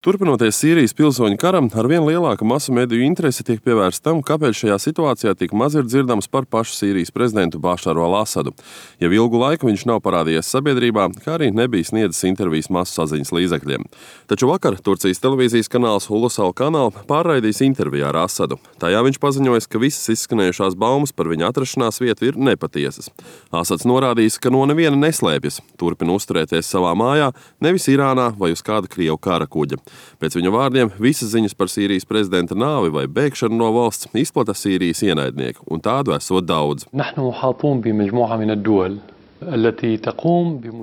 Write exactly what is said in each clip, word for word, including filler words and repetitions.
Turpinoties Sīrijas pilsoņu karam, arvien lielāka masu mediju interese tiek pievērsta tam, kāpēc šajā situācijā tik maz ir dzirdams par pašu Sīrijas prezidentu Bašaru al-Asadu. Jau ilgu laiku viņš nav parādījies sabiedrībā, kā arī nebija sniedzis intervijas masu saziņas līdzekļiem. Taču vakar Turcijas televīzijas kanāls Ulusal kanāl pārraidījis interviju ar Asadu. Tajā viņš paziņoja, ka visas izskanējušās baumas par viņa atrašanās vietu ir nepatiesas. Asads norādījis, ka no neviena neslēpjas, turpina uzturēties savā mājā, nevis Irānā vai uz kāda Krievu kara kuģa. Pēc viņa vārdiem, visas ziņas par Sīrijas prezidenta nāvi vai bēgšanu no valsts izplata Sīrijas ienaidnieki, un tādu esot daudz.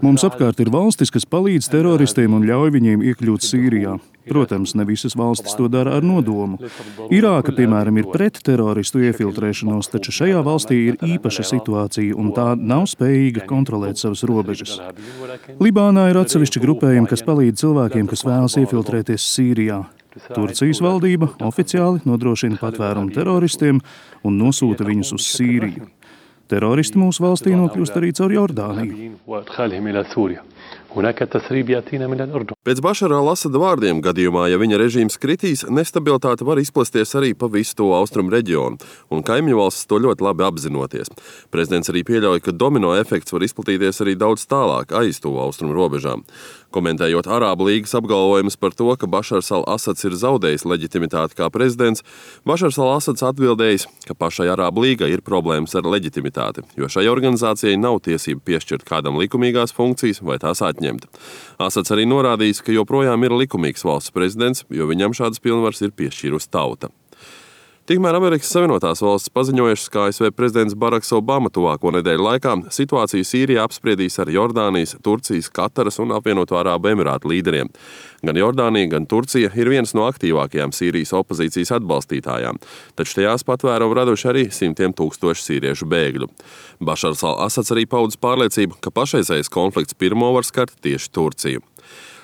Mums apkārt ir valstis, kas palīdz teroristiem un ļauj viņiem iekļūt Sīrijā. Protams, ne visas valstis to dara ar nodomu. Irāka, piemēram, ir pret teroristu iefiltrēšanos, taču šajā valstī ir īpaša situācija, un tā nav spējīga kontrolēt savas robežas. Libānā ir atsevišķi grupējumi, kas palīdz cilvēkiem, kas vēlas iefiltrēties Sīrijā. Turcijas valdība oficiāli nodrošina patvērumu teroristiem un nosūta viņus uz Sīriju. Teroristi mūsu valstī nokļūst arī caur Jordāniju. Pēc Bašara al-Asada vārdiem, gadījumā, ja viņa režīms kritīs, nestabilitāte var izplasties arī pa visu to austrumu reģionu, un kaimiņu valstis to ļoti labi apzinoties. Prezidents arī pieļauj, ka domino efekts var izplatīties arī daudz tālāk, aiz to austrumu robežām. Komentējot Arābu līgas apgalvojumus par to, ka Bašars al-Asads ir zaudējis leģitimitāti kā prezidents, Bašars al-Asads atbildējis, ka pašai Arābu līgai ir problēmas ar leģitimitāti, jo šai organizācijai nav tiesība piešķirt kādam likumīgās funkcijas vai tās atņemt. Asads arī norādījis, ka joprojām ir likumīgs valsts prezidents, jo viņam šādas pilnvaras ir piešķīrusi tauta. Tikmēr Amerikas Savienotās valstis paziņojušas, ka A S V prezidents Baraks Obama tuvāko nedēļu laikā situāciju Sīrijā apspriedīs ar Jordānijas, Turcijas, Kataras un apvienoto Arābu Emirātu līderiem. Gan Jordānija, gan Turcija ir vienas no aktīvākajām Sīrijas opozīcijas atbalstītājām, taču tajās patvērumu raduši arī simtiem tūkstoši sīriešu bēgļu. Bašars al-Asads arī paudis pārliecību, ka pašreizējais konflikts pirmo var skart tieši Turciju.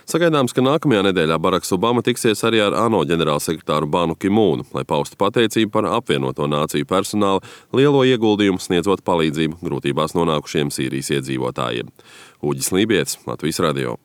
Sagaidāms, ka nākamajā nedēļā Baraks Obama tiksies arī ar ANO ģenerālsekretāru Banu Ki-mūnu, lai paustu pateicību par apvienoto nāciju personāla lielo ieguldījumu sniedzot palīdzību grūtībās nonākušiem Sīrijas iedzīvotājiem. Uģis Lībietis, Latvijas radio.